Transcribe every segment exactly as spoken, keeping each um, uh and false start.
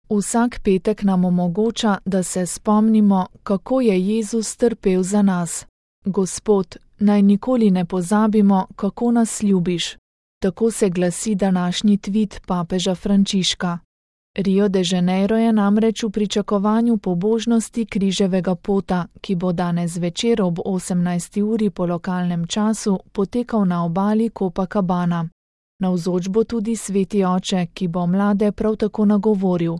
Vsak petek nam omogoča, da se spomnimo, kako je Jezus trpel za nas. Gospod, naj nikoli ne pozabimo, kako nas ljubiš. Tako se glasi današnji tvit papeža Frančiška. Rio de Janeiro je namreč v pričakovanju pobožnosti križevega pota, ki bo danes zvečer ob osemnajsti uri po lokalnem času potekal na obali Copacabana. Navzoč bo tudi sveti oče, ki bo mlade prav tako nagovoril.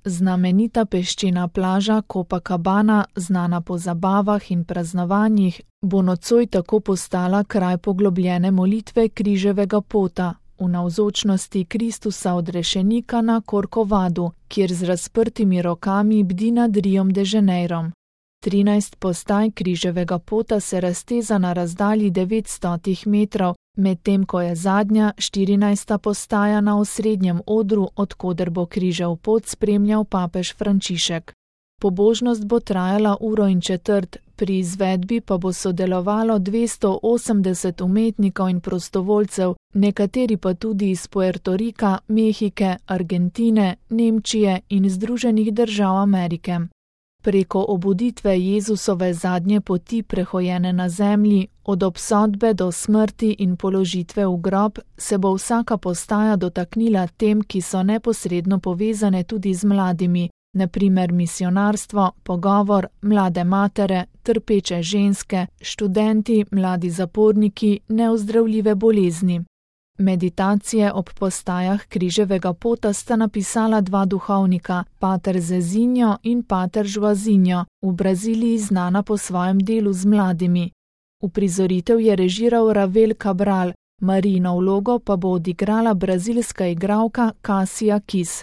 Znamenita peščena plaža Copacabana, znana po zabavah in praznovanjih, bo nocoj tako postala kraj poglobljene molitve križevega pota v navzočnosti Kristusa odrešenika na Corcovadu, kjer z razprtimi rokami bdi nad Riom de Janeirom. Trinajst postaj križevega pota se razteza na razdalji devetstotih metrov, medtem ko je zadnja, štirinajsta postaja na osrednjem odru, od koder bo križev pot spremljal papež Frančišek. Pobožnost bo trajala uro in četrt, pri izvedbi pa bo sodelovalo dvesto osemdeset umetnikov in prostovoljcev, nekateri pa tudi iz Puerto Rika, Mehike, Argentine, Nemčije in Združenih držav Amerike. Preko obuditve Jezusove zadnje poti prehojene na zemlji, od obsodbe do smrti in položitve v grob, se bo vsaka postaja dotaknila tem, ki so neposredno povezane tudi z mladimi, na primer misionarstvo, pogovor, mlade matere, trpeče ženske, študenti, mladi zaporniki, neozdravljive bolezni. Meditacije ob postajah križevega pota sta napisala dva duhovnika, pater Zezinho in pater Joazinho, v Braziliji znana po svojem delu z mladimi. Uprizoritev je režiral Ravel Cabral, Marijino vlogo pa bo odigrala brazilska igralka Cassia Kiss.